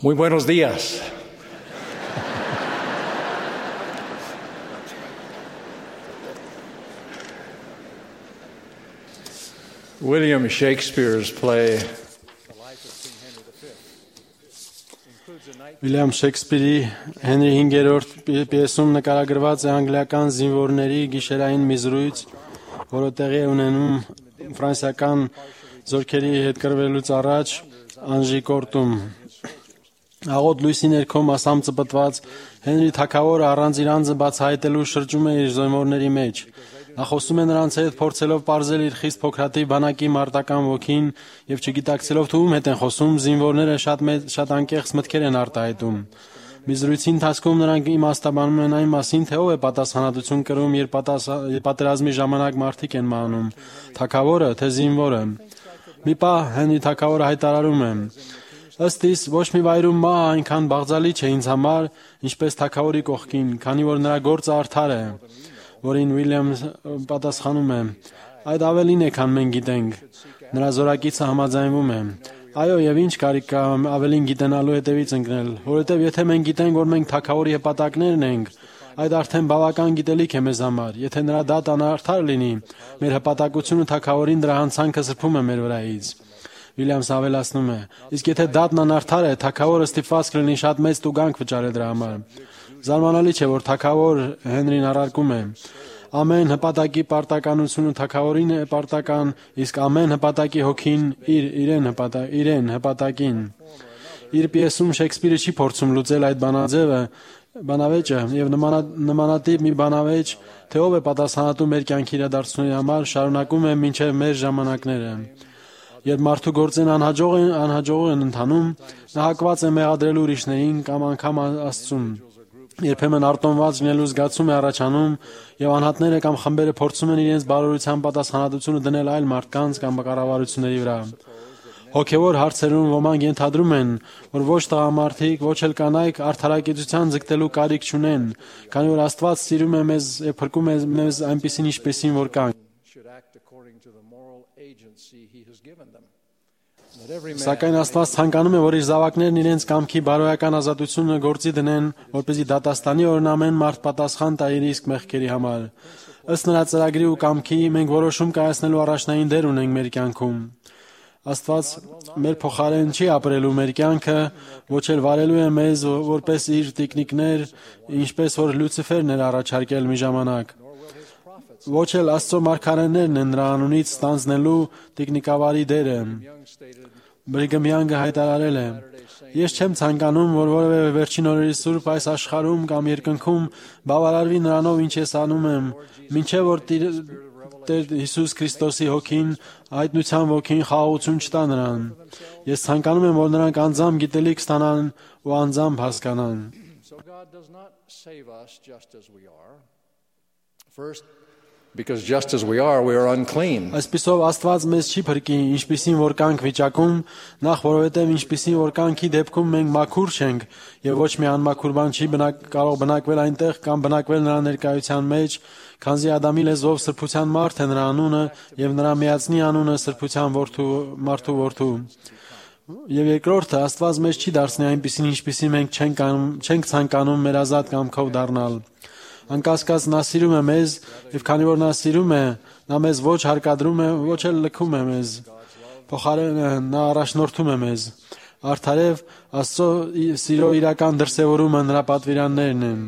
Muy buenos días. William Shakespeare's play Վիլյամ Շեքսպիրի Հենրի 5-րդ պիեսում նկարագրված է անգլիական զինվորների գիշերային մի զրույց, որը տեղի է ունենում ֆրանսիական զորքերի հետ կռվելուց առաջ Անժի կորտում։ Աղոտ լույսի ներքո մասամբ ծպտված Հենրի թագավորը առանց իր անձը բացահայտելու շրջում է իր զինվորների մեջ։ Նա խոսում է նրանց հետ, փորձելով պարզել իր խիստ փոքրաթիվ բանակի մարտական ոգին եւ չգիտակցելով թե ում հետ են խոսում, զինվորները շատ անկեղծ մտքեր են արտահայտում։ Մի զրույցի ընթացքում նրանք իմաստաբանում են այն մասին, թե ով է պատասխանատվություն կրում, երբ պատերազմի ժամանակ մարդիկ են մահանում, թագավորը թե զինվորը։ Մի պահ Հենրի թագավորը հայտարարում է. Ըստ իս ոչ մի վայրում մահը այնքան բաղձալի չէ ինձ համար, ինչպես թագավորի կողքին, քանի որ նրա գործը արդար է։ Որին Վիլյամը պատասխանում է. այդ ավելին է, քան մենք գիտենք։ Նրա զորակիցը համաձայնվում է. այո, եւ ինչ կարիք կա ավելին գիտենալու հետևից ընկնել, որովհետեւ եթե մենք գիտենք, որ մենք թագավորի հպատակներն ենք, այդ արդեն բավական գիտելիք է մեզ համար։ Եթե նրա դատան արդար լինի, մեր հպատակությունը թագավորին դրա հանցանքը սրբում է մեր վրայից։ Վիլյամսը ավելացնում է. իսկ եթե դատն անարդար է, թագավորը ստիպված կլինի շատ մեծ տուգանք վճարել դրա համար։ Զարմանալի չէ, որ թագավոր Հենրին առարկում է. ամեն հպատակի պարտականությունը թագավորին է պարտական, իսկ ամեն հպատակի հոգին իրեն հպատակին։ Իր պիեսում Շեքսպիրը չի փորձում լուծել այդ բանավեճը եւ նմանատիպ մի բանավեճ, թե ով է պատասխանատու մեր կյանքի իրադարձությունների համար, շարունակում է մինչև մեր ժամանակները։ Երբ մարդու գործերն անհաջող են ընթանում, նա հակված է մեղադրելու ուրիշներին կամ անգամ Աստծուն։ Երբեմն արտոնված լինելու զգացում է առաջանում եւ անհատները կամ խմբերը փորձում են իրենց բարօրության պատասխանատվությունը դնել այլ մարդկանց կամ կառավարությունների վրա։ Հոգեվոր հարցերում ոմանք ենթադրում են, որ ոչ տղամարդիկ, ոչ էլ կանայք արդարակեցության ձգտելու կարիք չունեն, քանի որ Աստված սիրում է մեզ եւ փրկում է մեզ այնպիսին ինչպեսին որ կանք։ Սակայն Աստված ցանկանում է, որ իր զավակներն իրենց կամքի բարոյական ազատությունը գործի դնեն, որպեսզի դատաստանի օրն ամեն մարդ պատասխան տա իր իսկ մեղքերի համար։ Ըստ նրա ծրագրի ու կամքի մենք որոշում կայացնելու առաջնային դեր ունենք մեր կյանքում։ Աստված մեր փոխարեն չի ապրելու մեր կյանքը, ոչ էլ վարելու է մեզ որպես իր տիկնիկներ, ինչպես որ Լյուցիֆերն էր առաջարկել մի ժամանակ։ Ոչ էլ Աստծո մարգարեներն են նրա անունից ստանձնելու տիկնիկավարի դերը։ Բրիգեմ Յանգը հայտարարել է. Ես չեմ ցանկանում, որ որևէ վերջին օրերի սուրբ այս աշխարհում կամ երկնքում բավարարվի նրանով, ինչ ես անում եմ, մինչև որ Տեր Հիսուս Քրիստոսի հոգին, հայտնության ոգին խաղաղություն չտա նրան։ Ես ցանկանում եմ, որ նրանք անձամբ գիտելիք ստանան ու անձամբ հասկանան։ because just as we are unclean. Այսպիսով Աստված մեզ չի փրկի, ինչպիսին որ կանք վիճակում, նախ որովհետև ինչպիսին որ կանքի դեպքում մենք մաքուր չենք, եւ ոչ մի անմաքուր բան չի կարող բնակվել այնտեղ կամ բնակվել նրա ներկայության մեջ, քանզի Ադամի լեզվով սրբության մարդ է նրա անունը եւ նրա միածնի անունը սրբության մարդու որդու։ Եվ երկրորդը Աստված մեզ չի դարձնի այնպիսին ինչպիսին մենք չենք ցանկանում մեր ազատ կամքով դառնալ։ Անկասկած նա սիրում է մեզ, եւ քանի որ նա սիրում է, նա մեզ ոչ հարկադրում է, ոչ էլ լքում է մեզ։ Փոխարենը նա առաջնորդում է մեզ։ Արդարև Աստծո սիրո իրական դրսևորումը նրա պատվիրաններն են։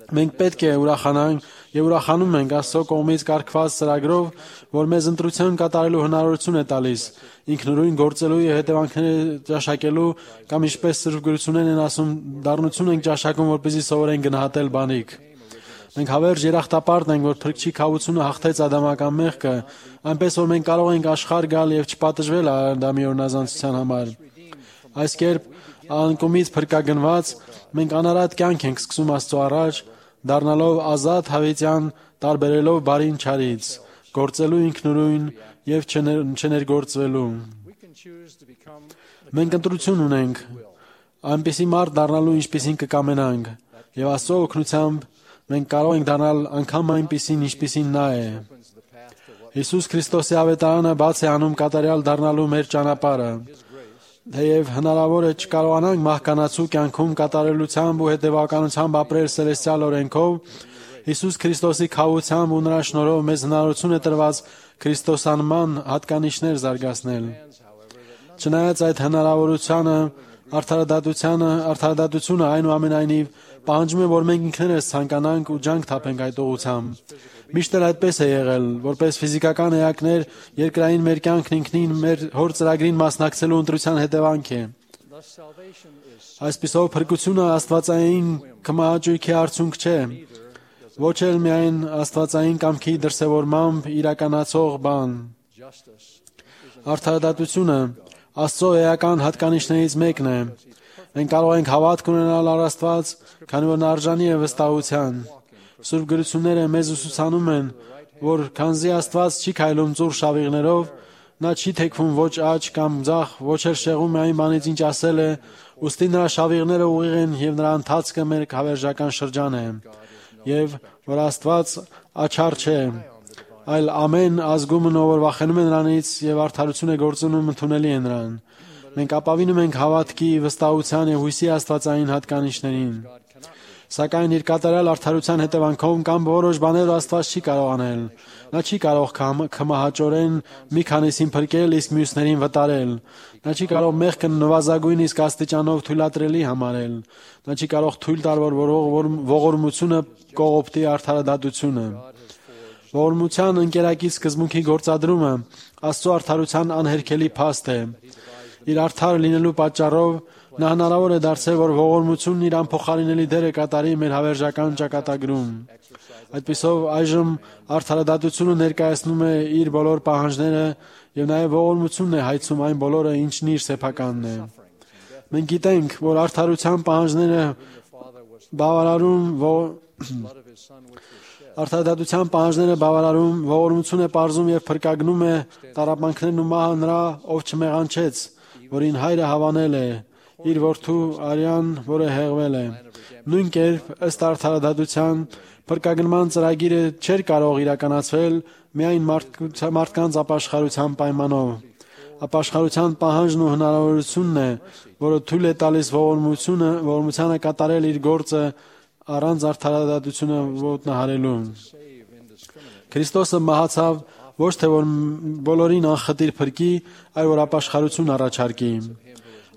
Մենք պետք է ուրախանանք եւ ուրախանում ենք Աստծո կողմից կարգված ծրագրով, որ մեզ ընտրություն կատարելու հնարավորություն է տալիս, ինքնուրույն գործելու եւ հետևանքները ճաշակելու կամ ինչպես Սուրբ Գրություններն են ասում, դառնություն ենք ճաշակում, որպեսզի սովորենք գնահատել բանիկ։ Մենք հավերժ երախտապարտ ենք, որ Փրկչի քավությունը հաղթեց ադամական մեղքը, այնպես որ մենք կարող ենք աշխարհ գալ եւ չպատժվել Ադամի օրնազանցության համար։ Այս կերպ անկումից փրկագնված մենք անարատ կյանք ենք սկսում Աստծո առաջ, դառնալով ազատ հավիտյան, տարբերելով բարին չարից, գործելու ինքնուրույն եւ չներգործվելու։ Մենք ընտրություն ունենք, այնպիսի մարդ դառնալու, ինչպիսին կկամենանք, եւ Աստծո օգնությամբ մենք կարող ենք դառնալ անգամ այնպիսին, ինչպիսին նա է։ Հիսուս Քրիստոսի ավետարանը բաց է անում կատարյալ դառնալու մեր ճանապարհը։ Թեև հնարավոր է չկարողանանք մահկանացու կյանքում կատարելությամբ ու հետևականությամբ ապրել սելեստիալ օրենքով, Հիսուս Քրիստոսի քավությամբ ու նրա շնորհով մեզ հնարավորություն է տրված քրիստոսանման հատկանիշներ զարգացնել։ Չնայած այդ հնարավորությանը, արդարադատությունը այնուամենայնիվ պահանջում է, որ մենք ինքներս ցանկանանք ու ջանք թափենք այդ ուղղությամբ։ Միշտ էլ այդպես է եղել, որպես ֆիզիկական էակներ, երկրային մեր կյանքն ինքնին մեր հոր ծրագրին մասնակցելու ընտրության հետևանք է։ Այսպիսով փրկությունը աստվածային կմահաճույքի արդյունք չէ, ոչ էլ միայն աստվածային կամքի դրսևորմամբ իրականացող բան։ Արդարադատությունը Աստծո էական հատկանիշներից մեկն է։ Մենք կարող ենք հավատք ունենալ առ Աստված, քանի որ նա արժանի է վստահության։ Սուրբ գրությունները մեզ ուսուցանում են, որ քանզի Աստված չի քայլում ծուռ շավիղներով, նա չի թեքվում ոչ աջ կամ ձախ, ոչ էլ շեղում է այն բանից, ինչ ասել է, ուստի նրա շավիղները ուղիղ են եւ նրա ընթացքը մեր հավերժական շրջան է։ Եվ որ Աստված աչառ չէ, այլ ամեն ազգումն ով որ վախենում է նրանից եւ արդարություն է գործունում ընդունելի է նրան։ Մենք ապավինում ենք հավատքի, վստահության եւ հույսի աստվածային հատկանիշներին։ Սակայն իր կատարյալ արդարության հետևանքով կամ որոշ բաներ Աստված չի կարող անել։ Նա չի կարող կմահաճորեն մի քանիսին փրկել, իսկ մյուսներին վտարել։ Նա չի կարող մեղքը նվազագույն իսկ աստիճանով թույլատրելի համարել։ Նա չի կարող թույլ տալ, որ ողորմությունը կողոպտի արդարադատությունը։ Ողորմության ընկերակից սկզբունքի գործադրումը Աստծո արդարության անհերքելի փաստ է։ Իր արդար լինելու պատճառով նա հնարավոր է դարձել, որ ողորմությունն իր անփոխարինելի դերը կատարի մեր հավերժական ճակատագրում։ Այդպիսով այժմ արդարադատությունը ներկայացնում է իր բոլոր պահանջները եւ նաեւ ողորմությունն է հայցում այն բոլորը, ինչն իր սեփականն է։ Մենք գիտենք, որ արդարության պահանջները Արդարադատության պահանջները բավարարում, ողորմություն է պարզում եւ փրկագնում է տառապանքներն ու մահը նրա, ով չմեղանչեց, որին հայրը հավանել է, իր որդու արյան, որը հեղվել է։ Նույն կերպ, ըստ արդարադատության, փրկագնման ծրագիրը չէր կարող իրականացվել միայն մարդկանց ապաշխարության պայմանով։ Ապաշխարության պահանջն ու հնարավորությունն է, որը թույլ է տալիս ողորմությանը կատարել իր գործը առանց արդարադատությունը ոտնահարելու։ Քրիստոսը մահացավ ոչ թե որ բոլորին անխտիր փրկի, այլ որ ապաշխարություն առաջարկի։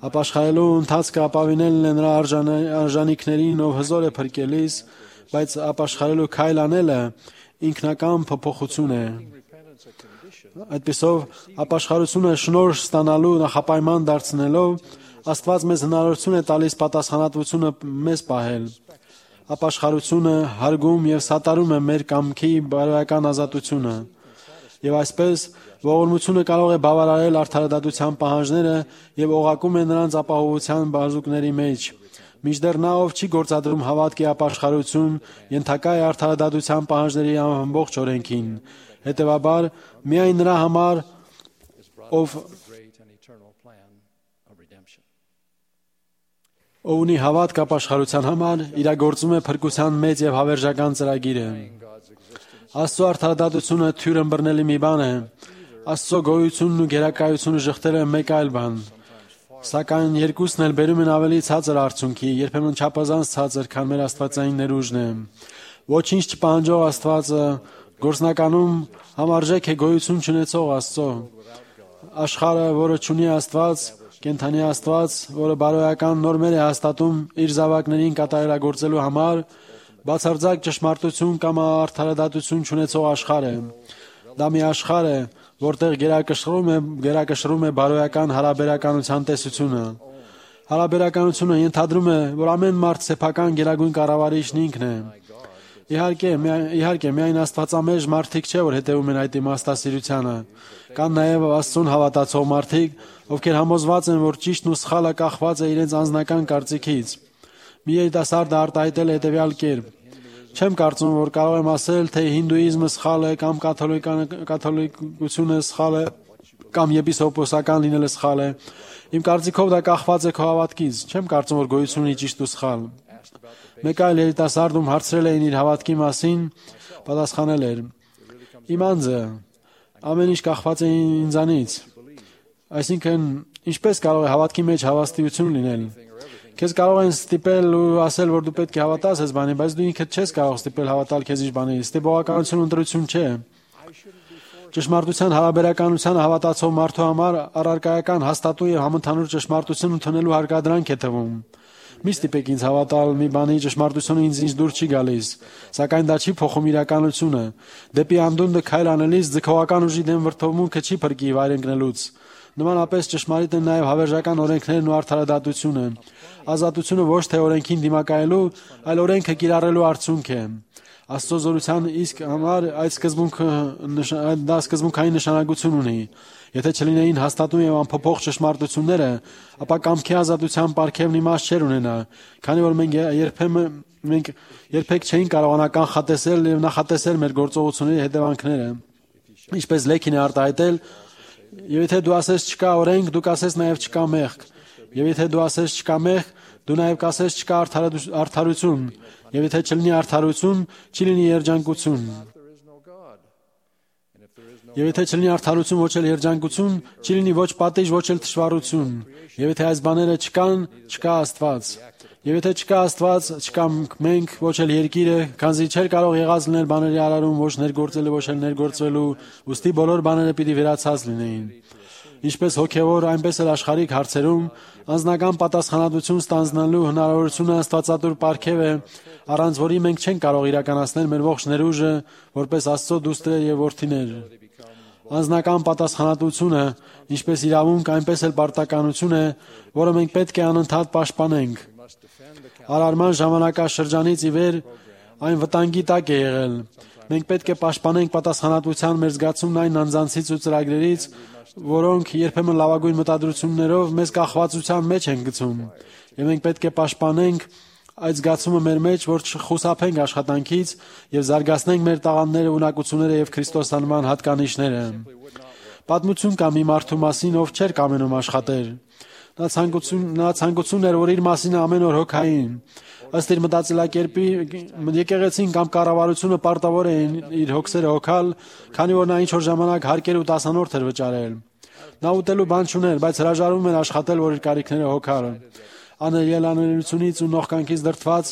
Ապաշխարելու ընթացքը ապավինելն է նրա արժանիքներին, ով հզոր է փրկելիս, բայց ապաշխարելու քայլ անելը ինքնական փոփոխություն է։ Այդպիսով ապաշխարությունը շնորհ ստանալու նախապայման դարձնելով Աստված մեզ հնարավորություն է տալիս պատասխանատվությունը մեզ պահել։ Ապաշխարությունը հարգում եւ սատարում է մեր կամքի բարոյական ազատությունը։ Եվ այսպես ողորմությունը կարող է բավարարել արդարադատության պահանջները եւ օղակում է նրանց ապահովության բազուկների մեջ։ Մինչդեռ նա, ով չի գործադրում հավատքի ապաշխարություն, ենթակա է արդարադատության պահանջների ամբողջ օրենքին։ Հետևաբար, միայն նրա համար, ով ունի հավատք ապաշխարության համար, իրագործում է փրկության մեծ եւ հավերժական ծրագիրը։ Աստծո արդարադատությունը թյուր ըմբռնելի մի բան է։ Աստծո գոյությունն ու գերակայությունը շղթերը մեկ այլ բան։ Սակայն երկուսն էլ բերում են ավելի ցածր արդյունքի, երբեմն չափազանց ցածր, քան մեր աստվածային ներուժն է։ Ոչինչ չպահանջող Աստվածը գործնականում համարժեք է գոյություն չունեցող Աստծո։ Աշխարհը, որը չունի Աստված, կենդանի Աստված, որը բարոյական նորմեր է հաստատում իր զավակներին կատարելագործելու համար, բացարձակ ճշմարտություն կամ արդարադատություն չունեցող աշխարհ է։ Դա մի աշխարհ է, որտեղ գերակշռում է բարոյական հարաբերականության տեսությունը։ Հարաբերականությունը ենթադրում է, որ ամեն մարդ սեփական գերագույն կառավարիչն ինքն է։ Իհարկե, միայն աստվածամերժ մարդիկ չէ, որ հետևում են այդ իմաստասիրությանը։ Կան նաև Աստծուն հավատացող մարդիկ, ովքեր համոզված են, որ ճիշտն ու սխալը կախված է իրենց անձնական կարծիքից։ Մի երիտասարդը արտահայտել է հետևյալ կերպ. Չեմ կարծում, որ կարող եմ ասել, թե հինդուիզմը սխալ է կամ կաթոլիկությունը սխալ է կամ եպիսկոպոսական լինելը սխալ է։ Իմ կարծիքով դա կախված է քո հավատքից։ Չեմ կարծում, որ գոյություն ունի ճիշտ ու սխալ։ Մեկ այլ երիտասարդ, ում հարցրել էին իր հավատքի մասին, պատասխանել էր. Իմ անձը ամեն ինչ կախված է ինձանից։ Այսինքն Ինչպես կարող է հավատքի մեջ հավաստիություն լինել։ Քեզ կարող են ստիպել ու ասել, որ դու պետք է հավատաս այս բանին, բայց դու ինքդ չես կարող ստիպել հավատալ քեզ ինչ բանի։ Ստիպողականություն ընտրություն չէ։ Ճշմարտության հարաբերականության հավատացող մարդու համար առարկայական հաստատուն եւ համընդհանուր ճշմարտություն ընդունելու հարկադրանք է թվում։ Մի ստիպեք ինձ հավատալ մի բանի ճշմարտությունը ինձ դուր չի գալիս, սակայն դա չի փոխում իրականությունը։ Դեպի անդունդը քայլ անելիս ձգողական ուժի դեմ վրդովմունքը չի փրկի վայր ընկնելուց։ Նմանապես ճշմարիտ են նաև հավերժական օրենքներն ու արդարադատությունը։ Ազատությունը ոչ թե օրենքին դիմակայելու, այլ օրենքը կիրառելու արդյունք է։ Աստծո զորության իսկ համար այդ սկզբունքային նշանակություն ունի։ Եթե չլինեին հաստատուն եւ անփոփոխ ճշմարտությունները, ապա կամքի ազատության պարգևն իմաստ չէր ունենա, քանի որ մենք երբեք չէին կարողանա կանխատեսել եւ նախատեսել մեր գործողությունների հետևանքները։ Ինչպես Լեքին է արտահայտել, եւ եթե դու ասես չկա օրենք, դու կասես նաեւ չկա մեղք, եւ եթե դու ասես չկա մեղք, դու նաեւ կասես չկա արդարություն, եւ եթե չլինի արդարություն, չի լինի երջանկություն։ Եվ եթե չլինի արդարություն, ոչ էլ երջանկություն, չի լինի ոչ պատիժ, ոչ էլ թշվառություն։ Եվ եթե այս բաները չկան, չկա Աստված։ Եվ եթե չկա Աստված, չկա մենք, ոչ էլ երկիրը, քանզի չէր կարող եղած լինել բաների արարում, ոչ ներգործելը, ոչ էլ ներգործվելու, ուստի բոլոր բաները պիտի վերացած լինեին։ Ինչպես հոգևոր, այնպես էլ աշխարհիկ հարցերում անձնական պատասխանատվություն ստանձնելու հնարավորությունը Աստվածատուր պարգև է, առանց որի մենք չենք կարող իրականացնել մեր ողջ ներուժը, որպես Աստծո դուստր եւ որդիներ։ Անձնական պատասխանատվությունը, ինչպես իրավունք, այնպես էլ պարտականություն է, որը մենք պետք է անընդհատ պաշտպանենք։ Արարման ժամանակաշրջանից ի վեր այն վտանգի տակ է եղել։ Մենք պետք է պաշտպանենք պատասխանատվության մեր զգացումն այն անձանցից ու ծրագրերից, որոնք երբեմն լավագույն մտադրություններով մեզ կախվածության մեջ են գցում։ Եվ մենք պետք է պաշտպանենք այդ զգացումը մեր մեջ, որ չխուսափենք աշխատանքից եւ զարգացնենք մեր տաղանդները, ունակությունները եւ քրիստոսանման հատկանիշները։ Պատմություն կա մի մարդու մասին, ով չէր կամենում աշխատել։ Նա ցանկություն էր, որ իր մասին ամեն օր հոգային։ Ըստ իր մտածելակերպի եկեղեցին կամ կառավարությունը պարտավոր էին իր հոգսերը հոգալ, քանի որ նա ինչ-որ ժամանակ հարկեր ու տասանորդ էր վճարել։ Նա ուտելու բան չուներ, բայց հրաժարվում էր աշխատել, որ իր կարիքները հոգալ։ Աներելանելությունից ու նողկանքից դրդված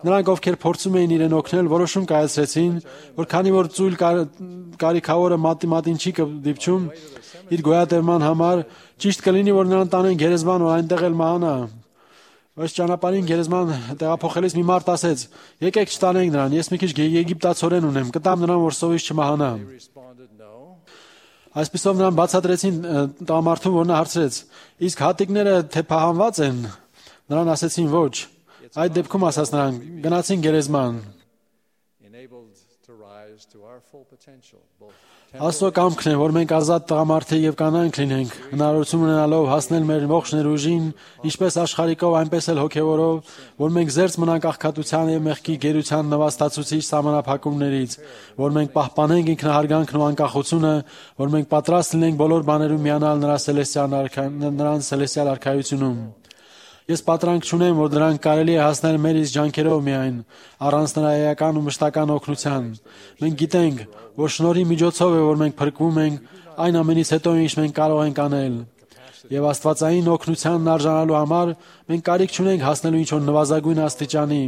նրանք, ովքեր փորձում էին իրեն օգնել, որոշում կայացրեցին, որ քանի որ ծույլ կարիքավորը մատին չի դիպչում իր գոյատևման համար, ճիշտ կլինի, որ նրան տանեն գերեզման, որ այնտեղ էլ մահանա։ Բայց ճանապարհին գերեզման տեղափոխելիս մի մարդ ասեց. «Եկեք չտանենք նրան, ես մի քիչ եգիպտացորեն ունեմ, կտամ նրան, որ սովից չմահանա»։ Այսպիսով նրան բացատրեցին տղամարդուն, որ նա հարցրեց. «Իսկ հատիկները թե փահանված են»։ Նրան ասեցին ոչ։ Այդ դեպքում ասաց նրան. «Գնացին գերեզման»։ Աստծո կամքն է, որ մենք ազատ տղամարդիկ եւ կանայք լինենք, հնարավորություն ունենալով հասնել մեր ողջ ներուժին, ինչպես աշխարհիկով, այնպես էլ հոգեվորով, որ մենք զերծ մնանք աղքատության եւ մեղքի գերության նվաստացուցիչ սահմանափակումներից, որ մենք պահպանենք ինքնահարգանքն ու անկախությունը, որ մենք պատրաստ լինենք բոլոր բաներում միանալ նրան սելեստիալ արքայությունում։ Ես պատրանք չունեմ, որ դրանք կարելի է հասնել մեր իսկ ջանքերով միայն, առանց նրա էական ու մշտական օգնության։ Մենք գիտենք, որ շնորհի միջոցով է, որ մենք փրկվում ենք այն ամենից հետո, ինչ մենք կարող ենք անել։ Եվ աստվածային օգնությանն արժանալու համար մենք կարիք չունենք հասնելու ինչ-որ նվազագույն աստիճանի։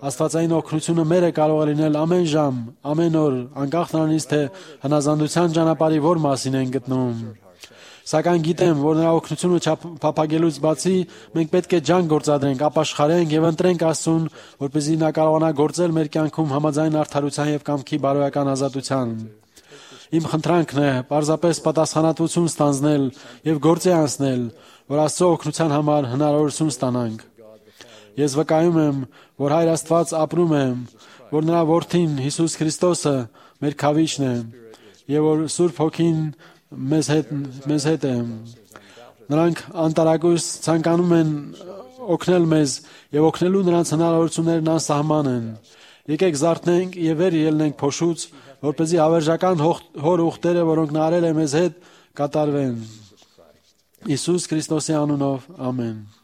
Աստվածային օգնությունը մեր է կարող լինել ամեն ժամ, ամեն օր, անկախ նրանից, թե հնազանդության ճանապարհի որ մասին են գտնվում։ Սակայն գիտեմ, որ նրա օգնությունը չափափակելուց բացի մենք պետք է ջանք գործադրենք, ապաշխարենք եւ ընտրենք Աստծուն, որպեսզի նա կարողանա գործել մեր կյանքում համաձայն արդարության եւ կամքի բարոյական ազատության։ Իմ խնդրանքն է պարզապես պատասխանատվություն ստանձնել եւ գործի անցնել, որ Աստծո օգնության համար հնարավորություն ստանանք։ Ես վկայում եմ, որ Հայր Աստված ապրում է, որ նրա որդին Հիսուս Քրիստոսը մեր քավիչն է եւ որ Սուրբ Հոգին մեզ հետ է։ Նրանք անտարակույս ցանկանում են օգնել մեզ եւ օգնելու նրանց հնարավորություններն անսահման են։ Եկեք զարթնենք եւ վեր ելնենք փոշուց, որպեսզի հավերժական հոր ուխտերը, որոնք նա արել է մեզ հետ, կատարվեն։ Հիսուս Քրիստոսի անունով, ամեն։